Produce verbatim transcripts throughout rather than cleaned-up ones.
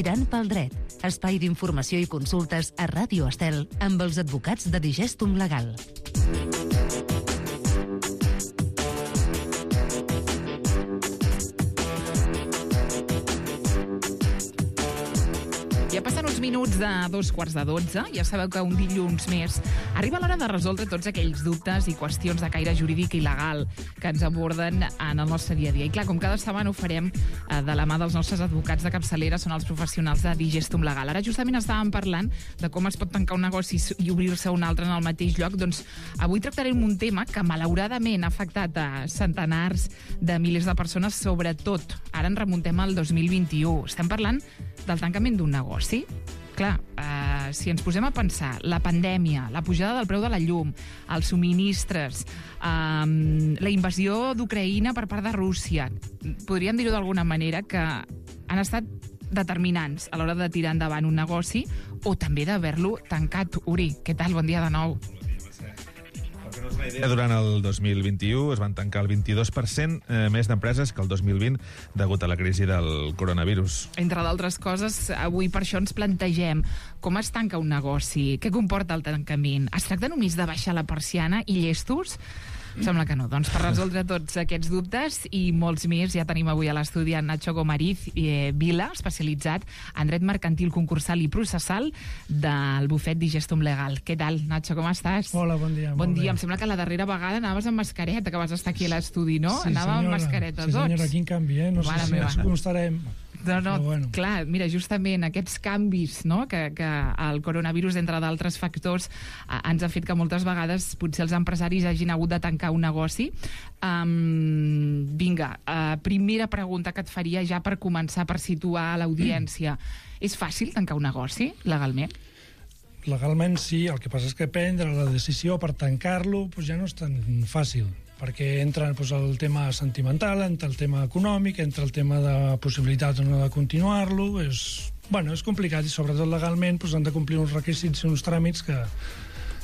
Tirant pel dret, espai d'informació i consultes a Ràdio Estel amb els advocats de Digestum Legal. Ja passen uns minuts de dos quarts de dotze. Ja sabeu que un dilluns més arriba l'hora de resoldre tots aquells dubtes i qüestions de caire jurídic i legal que ens aborden en el nostre dia a dia. I clar, com cada setmana ho farem eh, de la mà dels nostres advocats de capçalera, són els professionals de Digestum Legal. Ara justament estàvem parlant de com es pot tancar un negoci i obrir-se un altre en el mateix lloc. Doncs avui tractarem un tema que malauradament ha afectat a centenars de milers de persones, sobretot ara ens remuntem al dos mil vint-i-u. Estem parlant del tancament d'un negoci. Clar, eh, si ens posem a pensar, la pandèmia, la pujada del preu de la llum, els subministres, eh, la invasió d'Ucraïna per part de Rússia, podríem dir-ho d'alguna manera que han estat determinants a l'hora de tirar endavant un negoci o també d'haver-lo tancat. Uri, què tal? Bon dia de nou. Durant el dos mil vint-i-u es van tancar el vint-i-dos per cent eh, més d'empreses que el dos mil vint degut a la crisi del coronavirus. Entre d'altres coses, avui per això ens plantegem com es tanca un negoci, què comporta el tancament. Es tracta només de baixar la persiana i llestos? Sembla que no. Doncs per resoldre tots aquests dubtes i molts més ja tenim avui a l'estudi en Nacho Gomariz eh, Vila, especialitzat en dret mercantil, concursal i processal del bufet Digestum Legal. Què tal, Nacho, com estàs? Hola, bon dia. Bon dia. Em sembla que la darrera vegada anaves amb mascareta, que vas estar aquí a l'estudi, no? Sí, Anàvem senyora. amb mascareta sí, tots. Sí, senyora, quin canvi, eh? No Mare sé meva. si com estarem. No, no, bueno. clar, mira, justament aquests canvis, no?, que, que el coronavirus, entre d'altres factors, eh, ens ha fet que moltes vegades potser els empresaris hagin hagut de tancar un negoci. Um, vinga, uh, primera pregunta que et faria ja per començar, per situar l'audiència. Mm. És fàcil tancar un negoci, legalment? Legalment sí, el que passa és que prendre la decisió per tancar-lo pues ja no és tan fàcil, perquè entra pues, el tema sentimental, entra el tema econòmic, entra el tema de possibilitats o no de continuar-lo. És, bueno, és complicat i sobretot legalment pues, han de complir uns requisits i uns tràmits que,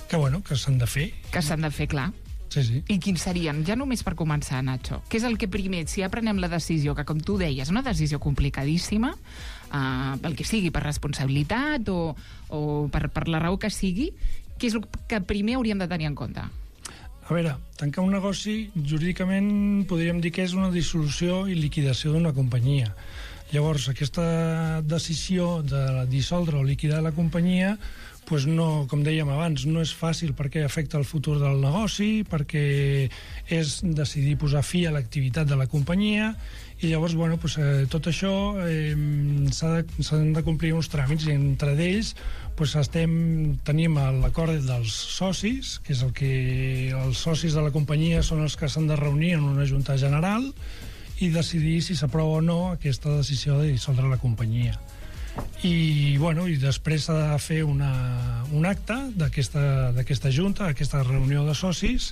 que, bueno, que s'han de fer. Que s'han de fer, clar. Sí, sí. I quins serien? Ja només per començar, Nacho. Què és el que primer, si ja prenem la decisió, que com tu deies, una decisió complicadíssima, uh, pel que sigui, per responsabilitat o, o per, per la raó que sigui, què és el que primer hauríem de tenir en compte? A veure, tancar un negoci, jurídicament podríem dir que és una dissolució i liquidació d'una companyia. Llavors, aquesta decisió de dissoldre o liquidar la companyia, pues no, com dèiem abans, no és fàcil perquè afecta el futur del negoci, perquè és decidir posar fi a l'activitat de la companyia, i llavors, bueno, pues, eh, tot això eh, s'ha de, s'han de complir uns tràmits, i entre d'ells pues, estem, tenim l'acord dels socis, que és el que els socis de la companyia són els que s'han de reunir en una junta general i decidir si s'aprova o no aquesta decisió de dissoldre la companyia. I, bueno, i després s'ha de fer una, un acte d'aquesta d'aquesta junta, d'aquesta reunió de socis,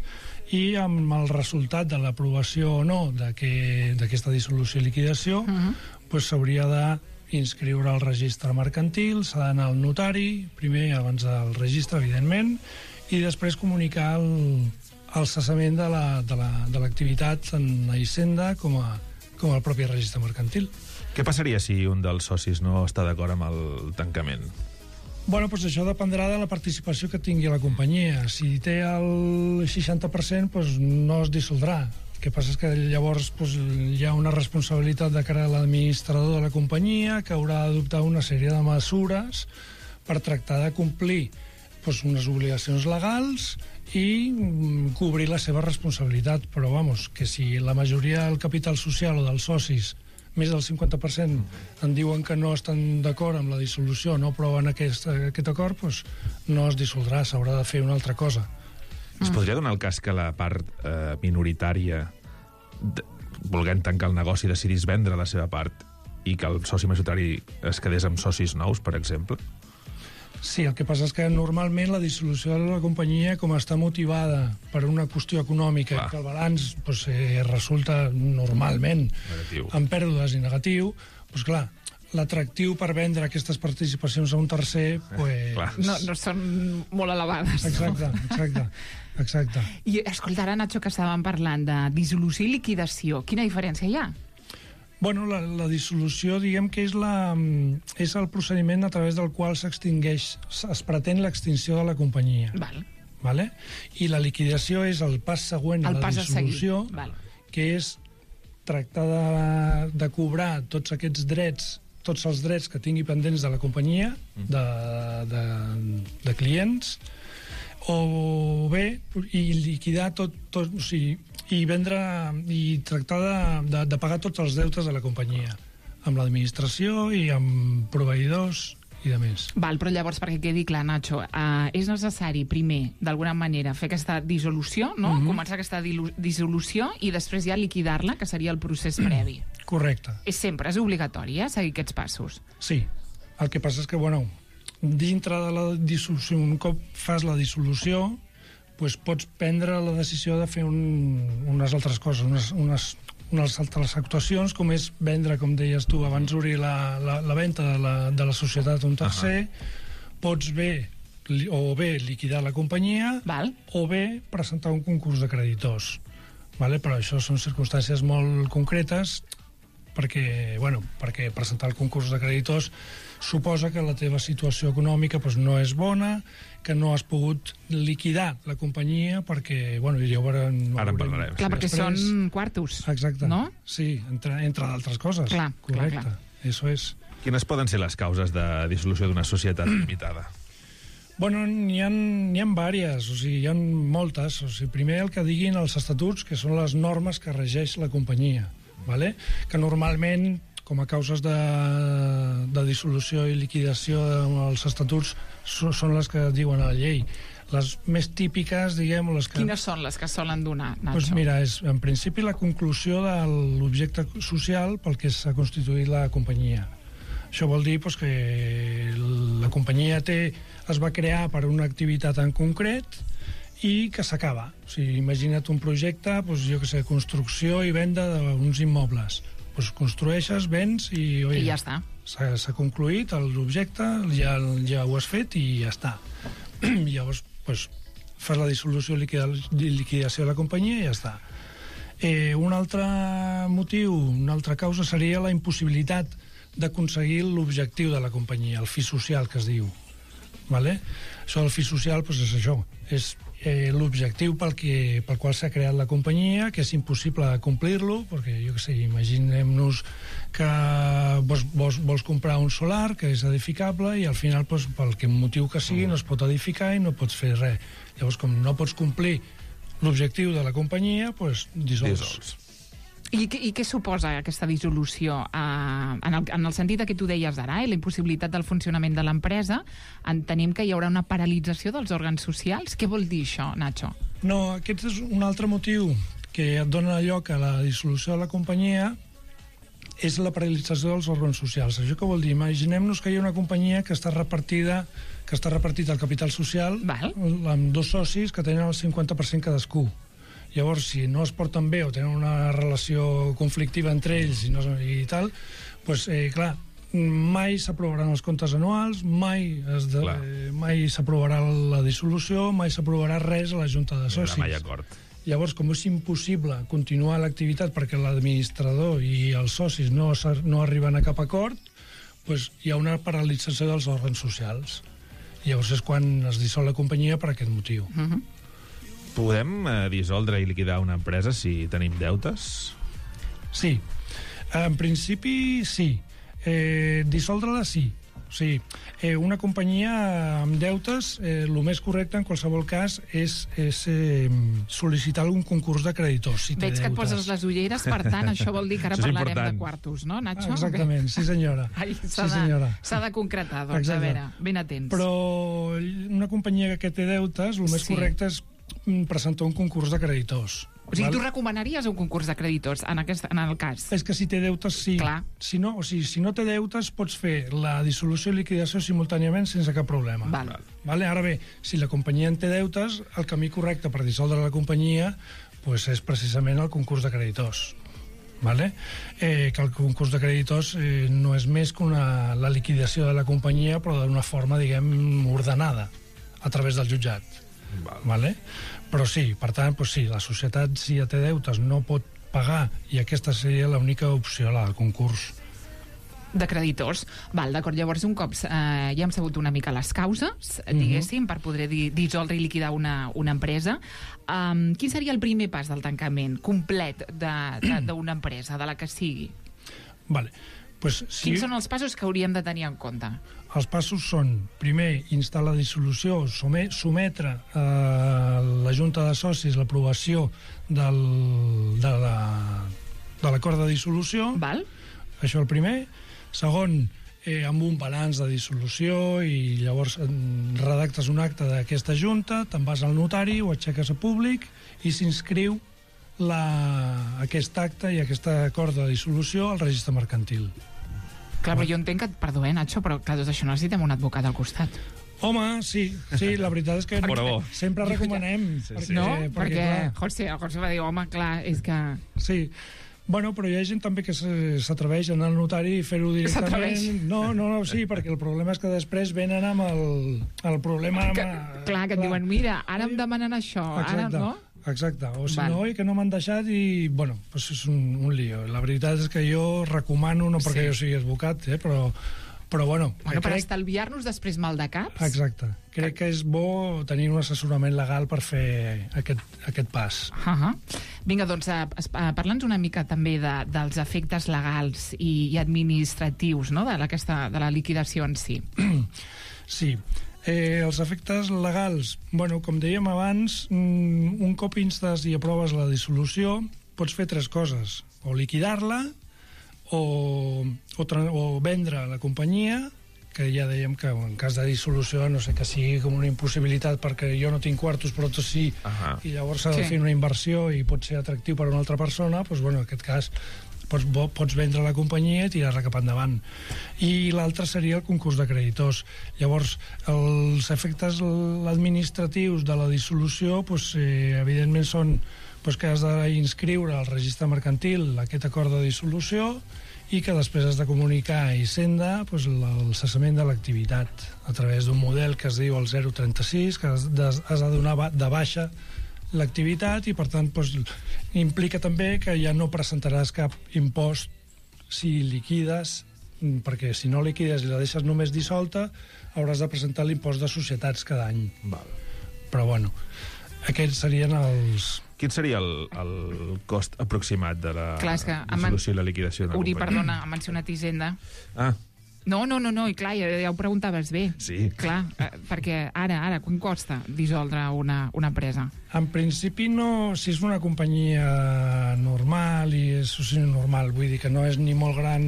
i amb el resultat de l'aprovació o no d'aquesta dissolució i liquidació uh-huh. pues, s'hauria d'inscriure al registre mercantil, s'ha d'anar al notari, primer abans del registre, evidentment, i després comunicar el, el cessament de l'activitat la, de la, en la Hisenda com a, com al propi registre mercantil. Què passaria si un dels socis no està d'acord amb el tancament? Bueno, pues això dependrà de la participació que tingui la companyia. Si té el seixanta per cent, pues no es dissoldrà. El que passa és que llavors pues, hi ha una responsabilitat de cara a l'administrador de la companyia que haurà d'adoptar una sèrie de mesures per tractar de complir pues, unes obligacions legals i mm, cobrir la seva responsabilitat. Però, vamos, que si la majoria del capital social o dels socis, més del cinquanta per cent, en diuen que no estan d'acord amb la dissolució, no aproven aquest, aquest acord, doncs no es dissoldrà, s'haurà de fer una altra cosa. Es podria donar el cas que la part eh, minoritària, de, volent tancar el negoci, decidís vendre la seva part i que el soci majoritari es quedés amb socis nous, per exemple? Sí, el que passa és que normalment la dissolució de la companyia, com està motivada per una qüestió econòmica, clar, que el balanç pues, eh, resulta normalment negatiu, amb pèrdues i negatiu, doncs clar, l'atractiu per vendre aquestes participacions a un tercer pues... eh, no, no són molt elevades. Exacte, no? exacte, exacte. I escolta, ara, Nacho, que estàvem parlant de dissolució i liquidació, quina diferència hi ha? Bueno, la, la dissolució, diguem que és, la, és el procediment a través del qual s'extingeix, es pretén l'extinció de la companyia. Val. Vale? I la liquidació és el pas següent a El la pas a dissolució, seguir. Val. que és tractar de, de cobrar tots aquests drets, tots els drets que tingui pendents de la companyia, de, de, de clients, o bé, i liquidar tot, tot o sigui, i vendre i tractar de, de, de pagar tots els deutes de la companyia, amb l'administració i amb proveïdors i de més. Val, però llavors, perquè quedi clar, Nacho, uh, és necessari, primer, d'alguna manera, fer aquesta dissolució, no? Mm-hmm. Començar aquesta dissolució i després ja liquidar-la, que seria el procés previ. Correcte. És sempre, és obligatori, eh, seguir aquests passos. Sí. El que passa és que, bueno, dintre de la dissolució, un cop fas la dissolució, doncs pots prendre la decisió de fer un, unes altres coses, unes, unes, unes altres actuacions, com és vendre, com deies tu, abans d'obrir la, la, la venda de la, de la societat a un tercer, uh-huh. Pots bé, o bé liquidar la companyia, Val. O bé presentar un concurs de creditors. Vale? Però això són circumstàncies molt concretes, perquè, bueno, perquè presentar el concurs de creditors suposa que la teva situació econòmica doncs, no és bona, que no has pogut liquidar la companyia perquè, bueno, ja ho veurem... Ara en parlarem. Clar, perquè Després... són quartos. Exacte. No? Sí, entre, entre d'altres coses. Clar, correcte. clar, clar. Eso és. Quines poden ser les causes de dissolució d'una societat limitada? Bueno, n'hi ha, n'hi ha diverses, o sigui, hi ha moltes. O sigui, primer el que diguin els estatuts, que són les normes que regeix la companyia, vale? Que normalment, com a causes de, de dissolució i liquidació dels estatuts, són les que diuen a la llei. Les més típiques, diguem... Les que... Quines són les que solen donar, Nacho? Doncs mira, és en principi la conclusió de l'objecte social pel que s'ha constituït la companyia. Això vol dir doncs, que la companyia té, es va crear per una activitat en concret i que s'acaba. O sigui, imagina't un projecte, doncs, jo que sé, construcció i venda d'uns immobles. Doncs construeixes, vens i... Oi, I ja està. S'ha concluït l'objecte, ja, ja ho has fet i ja està. Llavors, doncs, fas la dissolució i liquidació de la companyia i ja està. Eh, un altre motiu, una altra causa seria la impossibilitat d'aconseguir l'objectiu de la companyia, el fi social, que es diu. Vale? Això del fi social doncs és això, és eh, l'objectiu pel, que, pel qual s'ha creat la companyia, que és impossible complir-lo, perquè, jo què sé, imaginem-nos que vols, vols, vols comprar un solar que és edificable i al final, doncs, pel que motiu que sigui, no es pot edificar i no pots fer res. Llavors, com no pots complir l'objectiu de la companyia, doncs dissols. Dissols. I, I què suposa aquesta dissolució? Uh, en, el, en el sentit que tu deies ara, eh, la impossibilitat del funcionament de l'empresa, entenem que hi haurà una paralització dels òrgans socials. Què vol dir això, Nacho? No, aquest és un altre motiu que et dona lloc a la dissolució de la companyia, és la paralització dels òrgans socials. Això què vol dir? Imaginem-nos que hi ha una companyia que està repartida que està repartit el capital social Val. amb dos socis que tenen el cinquanta per cent cadascú. Llavors, si no es porten bé o tenen una relació conflictiva entre ells i, no, i tal, doncs, eh, clar, mai s'aprovaran els comptes anuals, mai es de, eh, mai s'aprovarà la dissolució, mai s'aprovarà res a la Junta de Socis. No hi ha mai acord. Llavors, com és impossible continuar l'activitat perquè l'administrador i els socis no, no arriben a cap acord, doncs hi ha una paralització dels òrgans socials. Llavors és quan es dissol la companyia per aquest motiu. Uh-huh. Podem eh, dissoldre i liquidar una empresa si tenim deutes? Sí. En principi, sí. Eh, dissoldre-la, sí. O sigui, eh, una companyia amb deutes, eh, el més correcte en qualsevol cas és, és eh, sol·licitar algun concurs de creditors. Si té Veig deutes. que et poses les ulleres, per tant, això vol dir que ara Això és parlarem important. de quartos, no, Nacho? Ah, exactament, sí senyora. Ai, sí s'ha senyora. de, s'ha de concretar, doncs, Exacte. a veure, ben atents. Però una companyia que té deutes, el més Sí. correcte és presentar un concurs de creditors. O sigui, val? tu recomanaries un concurs de creditors en, aquest, en el cas? És que si té deutes, sí. Clar. Si no, o sigui, si no té deutes, pots fer la dissolució i liquidació simultàniament sense cap problema. Val. Vale? Ara bé, si la companyia en té deutes, el camí correcte per dissoldre la companyia pues, és precisament el concurs de creditors. Vale? Eh, que el concurs de creditors eh, no és més que una, la liquidació de la companyia, però d'una forma, diguem, ordenada, a través del jutjat. Val. Vale? Però sí, per tant, doncs sí, la societat, si ja té deutes, no pot pagar, i aquesta seria l'única opció, la del concurs. De creditors. Val, d'acord, llavors un cop eh, ja hem sabut una mica les causes, diguéssim, uh-huh. per poder di dissoldre i liquidar una, una empresa. Um, quin seria el primer pas del tancament complet d'una empresa, de la que sigui? Vale. Pues, si... Quins són els passos que hauríem de tenir en compte? Els passos són, primer, instar la dissolució, sometre a la Junta de Socis l'aprovació del, de l'acord de dissolució. Val. Això el primer. Segon, eh, amb un balanç de dissolució, i llavors redactes un acte d'aquesta junta, te'n vas al notari, ho aixeques a públic i s'inscriu aquest acte i aquest acord de dissolució al registre mercantil. Clar, però jo entenc que, perdó, eh, Nacho, però clar, tot això necessitem un advocat al costat. Home, sí, sí, la veritat és que no, sempre recomanem. Sí, sí. No? Perquè, perquè, perquè José, José va dir, home, clar, és que... Sí. Bueno, però hi ha gent també que s'atreveix a anar al notari i fer-ho directament. No, no, no, sí, perquè el problema és que després venen amb el, el problema... Amb, que, clar, que et diuen, mira, ara em demanen això, exacte, ara no? Exacte, o si Val. no, i que no m'han deixat i, bueno, pues és un, un lío. La veritat és que jo recomano, no perquè sí. jo sigui advocat, eh, però... Però, bueno... Bueno, per crec... estalviar-nos després mal de caps... Exacte. Crec que és bo tenir un assessorament legal per fer aquest, aquest pas. Uh -huh. Vinga, doncs, uh, uh, parla'ns una mica també de, dels efectes legals i, i administratius, no?, de, aquesta, de la liquidació en si. Sí. Eh, els efectes legals, bueno, com dèiem abans, un cop instes i aproves la dissolució, pots fer tres coses. O liquidar-la, O, o, o vendre la companyia, que ja dèiem que en cas de dissolució no sé, que sigui com una impossibilitat perquè jo no tinc quartos però tu sí, uh -huh. i llavors s'ha de sí. fer una inversió i pot ser atractiu per a una altra persona, doncs, bueno, en aquest cas pots, pots vendre la companyia i tirar-la cap endavant. I l'altre seria el concurs de creditors. Llavors, els efectes administratius de la dissolució, doncs, eh, evidentment són pues que has d'inscriure al registre mercantil aquest acord de dissolució i que després has de comunicar a Hisenda pues, el cessament de l'activitat a través d'un model que es diu el zero trenta sis, que has de, has de donar de baixa l'activitat i, per tant, pues, implica també que ja no presentaràs cap impost si liquides, perquè si no liquides i la deixes només dissolta, hauràs de presentar l'impost de societats cada any. Val. Però, bueno, aquests serien els... Quin seria el, el cost aproximat de la clar, que dissolució i la liquidació de la Uri, companyia? perdona, ha mencionat Hisenda. Ah. No, no, no, no, i clar, ja, ja ho preguntaves bé. Sí. Clar, eh, perquè ara, ara, quan costa dissoldre una, una empresa? En principi no, si és una companyia normal i és soci normal, vull dir que no és ni molt gran,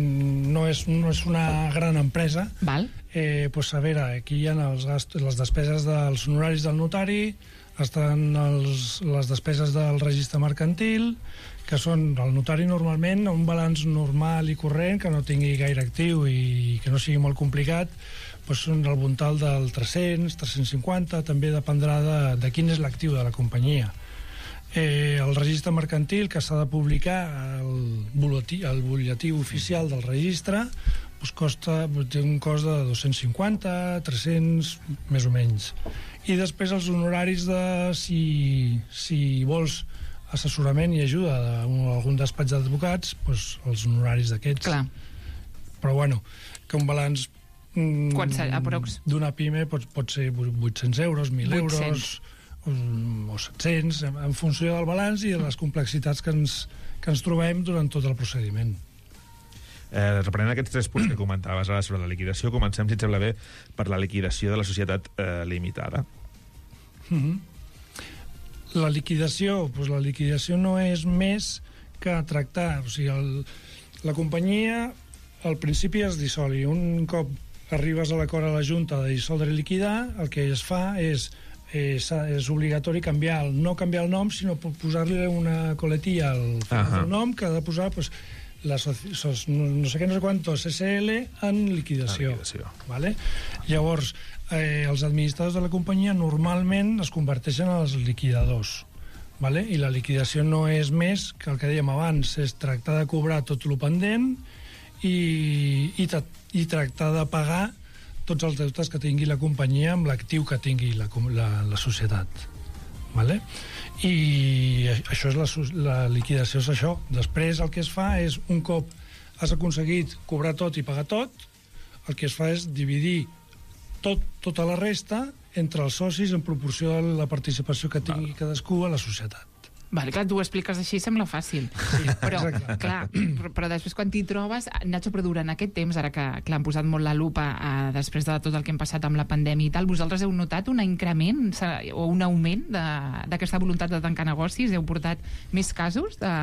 no és, no és una gran empresa. Val. Eh, pues a veure, aquí hi ha els gastos, les despeses dels honoraris del notari, estan els, les despeses del registre mercantil, que són el notari normalment un balanç normal i corrent que no tingui gaire actiu i que no sigui molt complicat, doncs són al voltant del tres-cents, tres-cents cinquanta, també dependrà de, de quin és l'actiu de la companyia. Eh, el registre mercantil, que s'ha de publicar el butlletí, el butlletí oficial del registre, doncs costa, té un cost de dos-cents cinquanta, tres-cents, més o menys. I després els honoraris de si, si vols assessorament i ajuda d'algun despatx d'advocats, doncs els honoraris d'aquests. Clar. Però bueno, que un balanç mm, d'una pime pot, pot ser vuit-cents euros, mil euros o set-cents, en funció del balanç i de les complexitats que ens, que ens trobem durant tot el procediment. Eh, reprenent aquests tres punts que comentaves ara sobre la liquidació, comencem, si et sembla bé, per la liquidació de la societat eh, limitada. Mm-hmm. La liquidació, doncs la liquidació no és més que tractar, o sigui, el, la companyia al principi es dissol i un cop arribes a l'acord a la Junta de dissoldre i liquidar, el que es fa és és, és obligatori canviar el, no canviar el nom, sinó posar-li una coletilla al final uh-huh. del nom, que ha de posar pues, la soci, sos, no sé què, no sé quantos S L en liquidació. liquidació. Vale? Llavors, eh, els administradors de la companyia normalment es converteixen en els liquidadors. Vale? I la liquidació no és més que el que dèiem abans, és tractar de cobrar tot el pendent i, i, i tractar de pagar tots els deutes que tingui la companyia amb l'actiu que tingui la, la, la societat. Vale? I això és la, la liquidació, és això. Després el que es fa és, un cop has aconseguit cobrar tot i pagar tot, el que es fa és dividir tot, tota la resta entre els socis en proporció a la participació que tingui cadascú a la societat. Vale, clar, tu ho expliques així, sembla fàcil. Sí, però, exacte. clar, però, però després quan t'hi trobes, Nacho, però durant aquest temps, ara que, que l'han posat molt la lupa eh, després de tot el que hem passat amb la pandèmia i tal, vosaltres heu notat un increment o un augment d'aquesta voluntat de tancar negocis? Heu portat més casos de,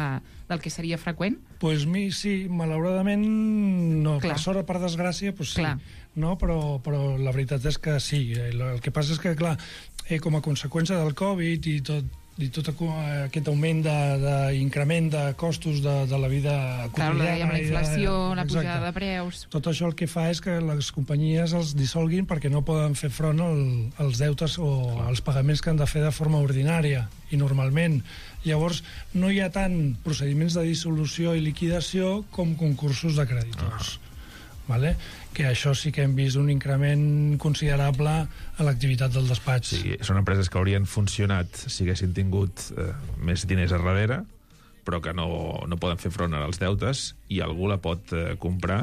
del que seria freqüent? Doncs pues, mi, sí, malauradament no. Clar. Per sort o per desgràcia, pues, sí. Clar. No, però, però la veritat és que sí. El que passa és que, clar, eh, com a conseqüència del Covid i tot, i tot aquest augment d'increment de, de costos de, de la vida quotidiana... Clar, la inflació, de, la pujada de preus... Tot això el que fa és que les companyies els dissolguin perquè no poden fer front al, als deutes o als pagaments que han de fer de forma ordinària i normalment. Llavors, no hi ha tant procediments de dissolució i liquidació com concursos de creditors. Vale? Que això sí que hem vist un increment considerable a l'activitat del despatx. Sí, són empreses que haurien funcionat si haguessin tingut eh, més diners a darrere, però que no, no poden fer front als deutes i algú la pot eh, comprar,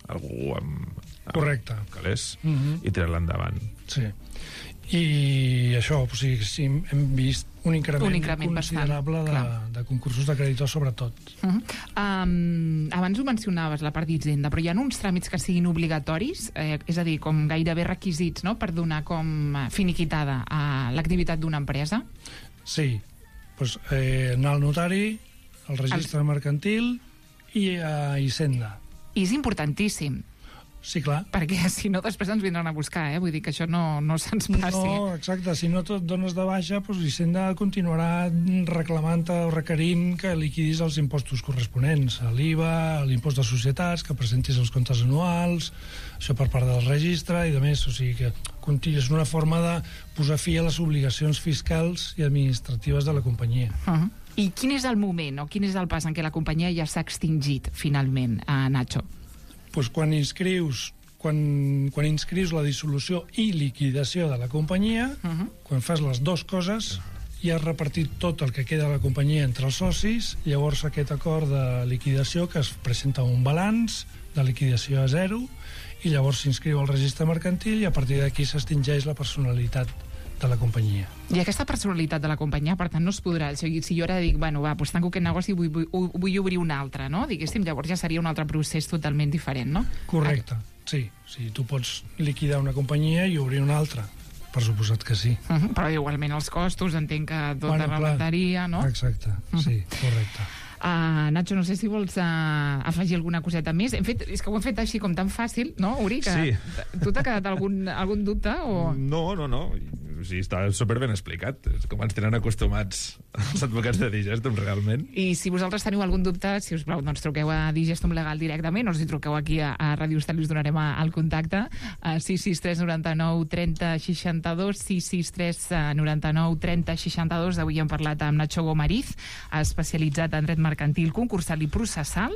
algú amb, amb correcte, calés, uh-huh. i tirar-la endavant. Sí. I això, o sigui, sí, hem vist un increment, un increment considerable de, de concursos de creditors, sobretot. Uh-huh. um, abans ho mencionaves, la part d'Hisenda, però hi ha uns tràmits que siguin obligatoris, eh, és a dir, com gairebé requisits, no?, per donar com finiquitada a l'activitat d'una empresa? Sí. Pues, eh, anar al notari, al registre el... mercantil i a Hisenda. I és importantíssim. Sí, clar. Perquè si no, després ens vindran a buscar, eh? Vull dir que això no, no se'ns passi. No, exacte. Si no et dones de baixa, doncs Hisenda continuarà reclamant o requerint que liquidis els impostos corresponents, l'I V A, l'impost de societats, que presentis els comptes anuals, això per part del registre i de més. O sigui que és una forma de posar fi a les obligacions fiscals i administratives de la companyia. Uh-huh. I quin és el moment o quin és el pas en què la companyia ja s'ha extingit, finalment, a Nacho? Pues quan inscrius quan, quan inscrius la dissolució i liquidació de la companyia, uh-huh. quan fas les dues coses, i has repartit tot el que queda de la companyia entre els socis, llavors aquest acord de liquidació que es presenta un balanç de liquidació a zero i llavors s'inscriu al registre mercantil i a partir d'aquí s'extingeix la personalitat de la companyia. I aquesta personalitat de la companyia, per tant, no es podrà... O sigui, si jo ara dic, bueno, va, doncs tanco aquest negoci i vull, vull, vull obrir un altre, no? Diguéssim, llavors ja seria un altre procés totalment diferent, no? Correcte, sí. Sí, tu pots liquidar una companyia i obrir una altra. Per suposat que sí. Uh-huh. Però igualment els costos, entenc que tot bueno, remuntaria, no? Exacte, uh-huh. sí, correcte. Uh, Nacho, no sé si vols uh, afegir alguna coseta més. Hem fet, és que ho hem fet així com tan fàcil, no, Uri? Que sí. Tu t'ha quedat algun, algun dubte? O... No, no, no. O sigui, està superben explicat. Com ens tenen acostumats els advocats de Digestum, realment. I si vosaltres teniu algun dubte, si us plau, doncs truqueu a Digestum Legal directament, o si truqueu aquí a, a Ràdio Estel us donarem el contacte. A sis sis tres noranta-nou trenta seixanta-dos, sis sis tres noranta-nou trenta seixanta-dos. Avui hem parlat amb Nacho Gomariz, especialitzat en dret mercantil, concursal i processal.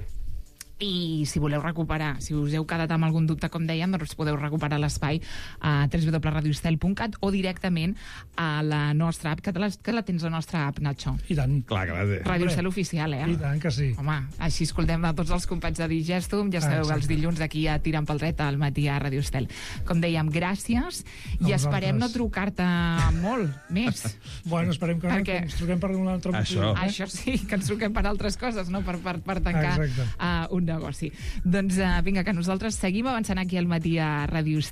I si voleu recuperar, si us heu quedat amb algun dubte, com dèiem, doncs podeu recuperar l'espai a w w w punt radio estel punt cat o directament a la nostra app, que la, que la tens la nostra app, Nacho. I tant. Clar que la té. Ràdio Estel oficial, eh? I tant que sí. Home, així escoltem a tots els companys de Digestum, ja sabeu, ah, els dilluns d'aquí a Tirant pel Dret al matí a Ràdio Estel. Com dèiem, gràcies, i esperem no trucar-te molt més. Bueno, esperem que Perquè... no, que ens truquem per un altre motiu. Això. Eh? Això sí, que ens truquem per altres coses, no? Per, per, per tancar uh, un negoci. Doncs uh, vinga, que nosaltres seguim avançant aquí al matí a Ràdio Estel.